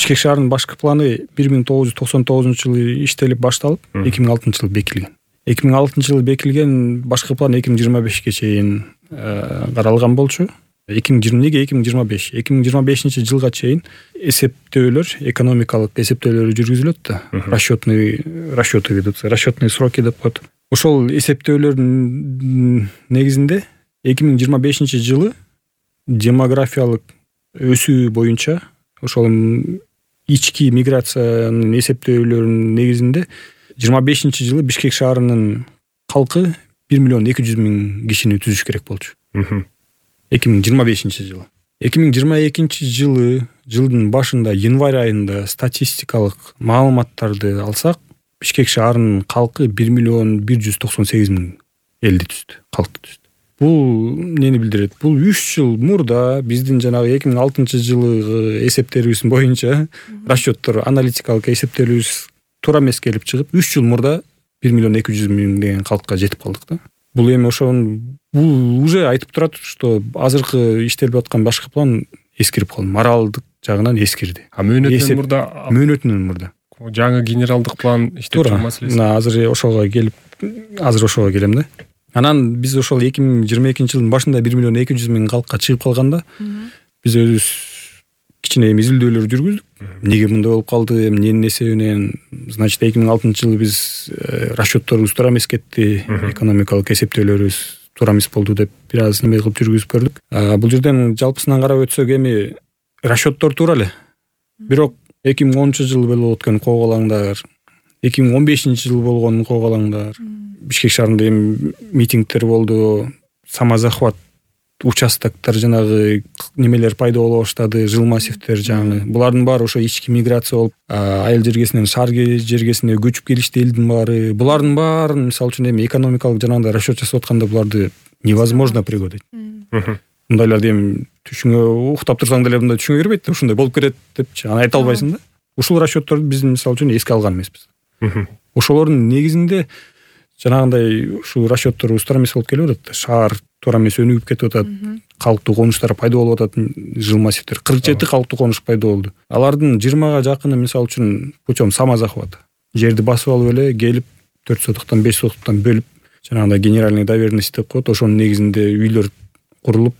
Бишкек шаарынын башкы планы 1999-жылы иштелип башталып, 2006-жылы бекилген. 2006-жылы бекилген башкы план 2025-ке чейин каралган болчу. Неге 2025? 2025-жылга чейин эсептөөлөр, экономикалык эсептөөлөр жүргүзүлөт да. Расчетный сроки деп коет. Ошол эсептөөлөрдүн негизинде 2025-жылы демографиялык өсүү боюнча ошол ички миграциянын эсептөөлөрүнүн негизинде 25-жылы Бишкек шаарынын калкы 1.200.000 кишини түзүш керек болчу. 2025-жылы. 2022 жылдын башында январь айында статистикалык маалыматтарды алсак, Бишкек шаарынын калкы 1.198.000 элди түздү, калкты түздү. Бул эмнени билдирет? Бул 3 жыл мурда биздин жанагы 2006-жылы эсептерибиз боюнча расчеттор, аналитикалык эсептөөлөрүбүз туура эмес келип чыгып, 3 жыл мурда 1.200.000 деген калкка жетип калдык да. Бул эми бул уже айтып турат, что азыркы иштелип аткан башкы план эскирип калды. Моралдык жагынан эскирди. Мөөнөтүнөн мурда. Жаңы генералдык план иштеп чыгуу маселеси. Азыр ошого келем да. Анан биз ошол 2022-жылдын башында 1.200.000 калкка чыгып калганда, биз өзүбүз кичине изилдөөлөр жүргүздүк. Неге мындай болуп калды, эмненин эсебинен? Значит, 2006-жылы биз расчетторубуз туура эмес кетти, экономикалык эсептөөлөрүбүз туура эмес болду деп бир аз неме кылып жүргүзүп көрдүк. Бул жерден жалпысынан карап өтсөк, эми расчеттор туура эле. Бирок 2010-жылы болуп өткөн кооголаңдар, 2015-жылы болгон кооголаңдар, Бишкек шаарында эми митингдер болду, самозахват участоктор, жанагы немелер пайда боло баштады, жыл массивдер жаңы. Булардын баары ошо ички миграция болуп, айыл жергесинен шаар жергесине көчүп келишти элдин баары. Булардын баарын, мисалы үчүн, эми экономикалык жанагындай расчет жасап атканда буларды невозможно пригодить. Мындайларды эми уктап турсаң деле мындай түшүнгө кирбейт да, ушундай болуп кетет депчи. Аны айта албайсың да. Ушул расчетторду биз мисалы үчүн эске алган эмеспиз. Ошолордун негизинде жанагындай ушул расчетторубуз туура эмес болуп келип атат. Шаар туура эмес өнүгүп кетип атат. Калктуу конуштар пайда болуп атат, жыл массивдер. 47 калктуу конуш пайда болду. Алардын 20га жакыны мисалы үчүн путем самозахвата. Жерди басып алып эле келип 4 сотуктан 5 сотуктан бөлүп, жанагындай генеральный доверенность деп коет. Ошонун негизинде үйлөр курулуп,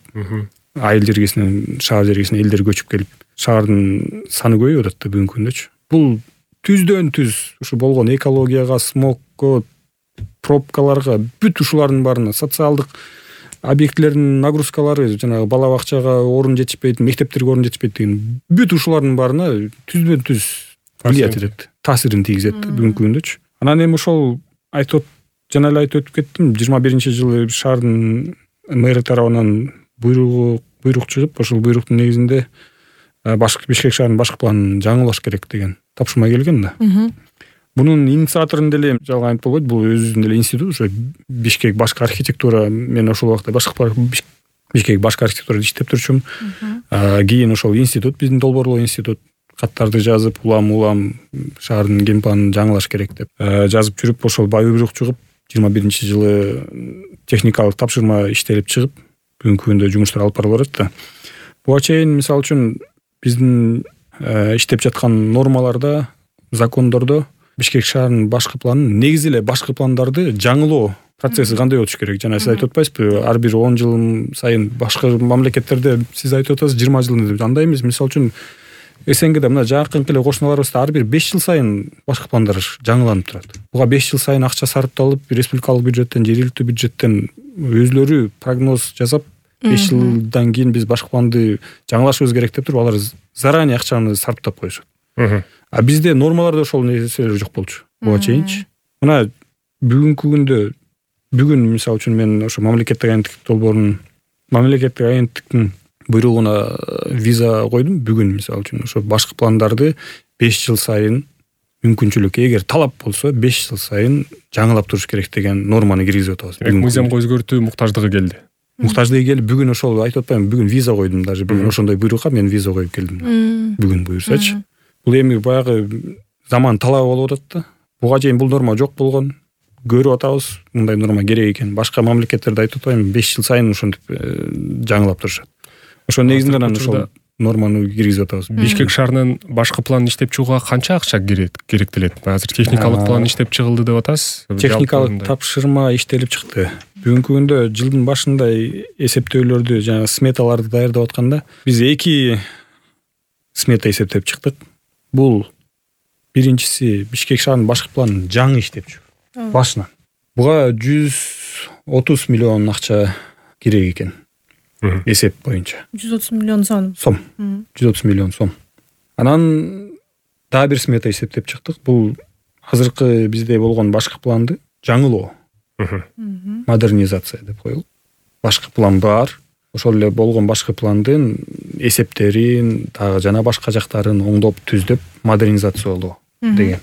айыл жергесинен шаар жергесине элдер көчүп келип, шаардын саны көбөйүп атат да бүгүнкү күндөчү. Бул түздөн түз ушу болгон экологияга, смогко, пробкаларга, бүт ушулардын баарына, социалдык объектилердин нагрузкалары, жанагы бала бакчага орун жетишпейт, мектептерге орун жетишпейт деген бүт ушулардын баарына түздөн түз влиять этет, таасирин тийгизет бүгүнкү күндөчү. Анан эми ошол жана эле айтып өтүп кеттим, 21-жылы шаардын мэри тарабынан буйрук чыгып, ошол буйруктун негизинде Бишкек шаарынын башкы планын жаңылаш керек деген тапшырма келген да. Бунун инициаторун деле жалган айтып болбойт, бул өзүнүн эле институт, ошо Бишкек башкы архитектура, мен ошол убакта Бишкек башкы архитектурада иштеп турчумун. Кийин ошол институт, биздин долбоорлоо институт каттарды жазып, улам шаардын генпланын жаңылаш керек деп жазып жүрүп, ошол буйрук чыгып, 21-жылы техникалык тапшырма иштелип чыгып, бүгүнкү күндө жумуштар алып барылып атат да. Буга чейин мисалы үчүн биздин иштеп жаткан нормаларда, закондордо Бишкек шаарынын башкы планын, негизи эле башкы пландарды жаңылоо процесси кандай өтүш керек? Жана сиз айтып атпайсызбы, ар бир 10 жыл сайын башка мамлекеттерде сиз айтып атасыз 20 жыл деп. Андай эмес. Мисалы үчүн СНГде мына жакынкы эле кошуналарыбызда ар бир 5 жыл сайын башкы пландар жаңыланып турат. Буга 5 жыл сайын акча сарпталып, республикалык бюджеттен, жергиликтүү бюджеттен өзлөрү прогноз жасап, 5 жылдан кийин биз башкы планды жаңылашыбыз керек деп туруп, алар заранее акчаны сарптап коюшат. А бизде нормаларда ошол нерселер жок болчу. Буга чейинчи. Мына бүгүнкү күндө, бүгүн мисалы үчүн мен ошо мамлекеттик агенттиктин буйругуна виза койдум. Бүгүн мисалы үчүн ошо башкы пландарды 5 жыл сайын мүмкүнчүлүк, эгер талап болсо 5 жыл сайын жаңылап туруш керек деген норманы киргизип атабыз. Мыйзамга өзгөртүү муктаждыгы келди. Бүгүн ошол айтып атпаймынбы, бүгүн виза койдум, даже бүгүн ошондой буйрукка мен виза коюп келдим. Бүгүн буюрсачы. Бул эми баягы заман талабы болуп атат да. Буга чейин бул норма жок болгон. Көрүп атабыз, мындай норма керек экен. Башка мамлекеттерде айтып атпаймынбы, 5 жыл сайын ошентип жаңылап турушат. Ошонун негизинде ошол норманы киргизип атабыз. Бишкек шаарынын башкы планын иштеп чыгууга канча акча керектелет? Азыр техникалык план иштеп чыгылды деп атасыз. Техникалык тапшырма иштелип чыкты. Бүгүнкү күндө жылдын башында эсептөөлөрдү, жана сметаларды даярдап атканда биз 2 смета эсептеп чыктык. Бул биринчиси Бишкек шаарынын башкы планын жаңы иштеп чыгуу башынан. Буга 130 миллион акча керек экен. Эсеп боюнча 130 миллион сом. 130 миллион сом. Анан дагы бир смета эсептеп чыктык. Бул азыркы бизде болгон башкы планды жаңылоо, модернизация деп коелу. Башкы план бар. Ошол эле болгон башкы пландын эсептерин, дагы жана башка жактарын оңдоп, түздөп модернизациялоо деген.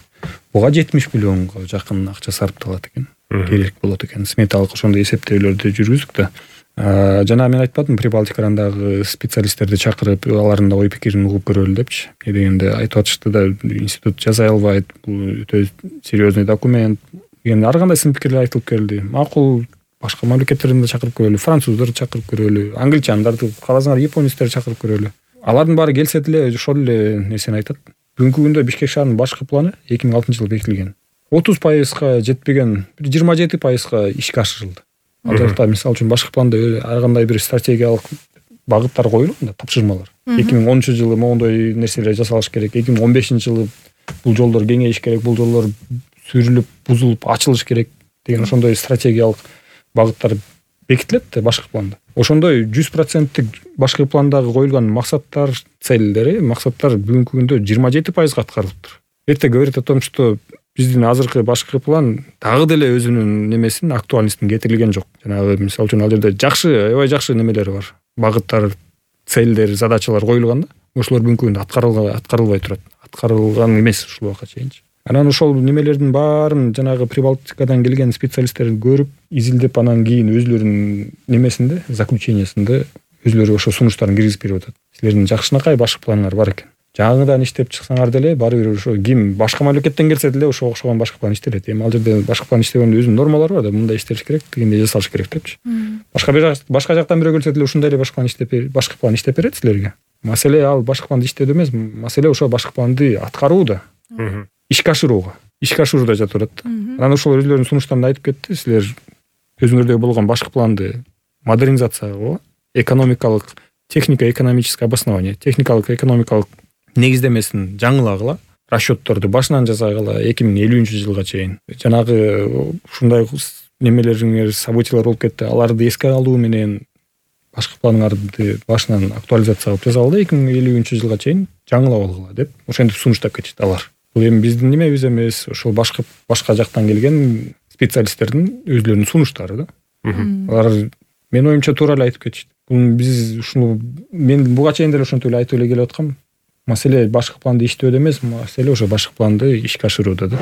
Буга 70 миллионго жакын акча сарпталат экен. Керек болот экен. Сметалык ошондой эсептөөлөрдү жүргүздүк да. Жана мен айтпадым, Прибалтикадагы специалисттерди чакырып, алардын да ой пикирин угуп көрөлү депчи. Дегенде айтып атышты да, институт жаза албайт, бул өтө серьезный документ. Эми ар кандай сын пикирлер айтылып келди. Макул, башка мамлекеттерден да чакырып көрөлү, француздарды чакырып көрөлү, англичандарды, каласаңар японецтерди чакырып көрөлү. Алардын баары келсе деле ошол эле нерсени айтат. Бүгүнкү күндө Бишкек шаарынын башкы планы 2006-жылы бекитилген. 30%га жетпеген, 27%га ишке ашырылды. Ал жакта мисалы үчүн башкы планда ар кандай бир стратегиялык багыттар коюлган да, тапшырмалар. 2010-жылы мондой нерселер жасалыш керек, 2015-жылы бул жолдор кеңейиш керек, бул жолдор сүрүлүп, бузулуп, ачылыш керек деген ошондой стратегиялык багыттар бекитилет да башкы планда. Ошондой 100% башкы пландагы коюлган максаттар, максаттар бүгүнкү күндө 27%га аткарылыптыр. Это говорит о том, что биздин азыркы башкы план дагы деле өзүнүн немесин, актуальностун кетирилген жок. Жанагы мисалы үчүн ал жерде жакшы, аябай жакшы немелери бар. Багыттар, целдер, задачалар коюлган да. Ошолор бүгүнкү күндө аткарылбай турат. Аткарылган эмес ушул убакка чейинчи. Анан ошол немелердин баарын жанагы Прибалтикадан келген специалисттер көрүп, изилдеп, анан кийин өзлөрүнүн немесинде, заключениясында өзлөрү ошо сунуштарын киргизип берип атат. Силердин жакшынакай башкы планыңар бар экен. Жаңыдан иштеп чыксаңар деле баары бир ошо ким башка мамлекеттен келсе деле ошого окшогон башкы план иштелет. Эми ал жерде башкы план иштегөндө өзүнүн нормалары бар да, мындай иштелиш керек, дегенде жасалыш керек депчи. Башка жактан бирөө келсе деле ушундай эле башкы план иштеп берет силерге. Маселе ал башкы планды иштөөдө эмес, маселе ошо башкы планды аткарууда, ишке ашырууда жатып атат. Анан ошол өзлөрүнүн сунуштарында айтып кетти, силер өзүңөрдө болгон башкы планды модернизацияга, экономикалык, технико-экономическое обоснование, техникалык, экономикалык негиздемесин жаңылагыла, расчетторду башынан жасагыла 2050-жылга чейин. Жанагы ушундай немелериңер, событиялар болуп кетти, аларды эске алуу менен башкы планыңарды башынан актуализация кылып жасагыла 2050-жылга чейин жаңылап алгыла деп ошентип сунуштап кетишти алар. Бул эми биздин немебиз эмес, ошол башка жактан келген специалисттердин өзлөрүнүн сунуштары да. Алар мен оюмча туура эле айтып кетишти. Биз ушуну мен буга чейин деле ошентип эле айтып эле келип аткам. Маселе башкы планды иштөөдө эмес, маселе ошо башкы планды ишке ашырууда да.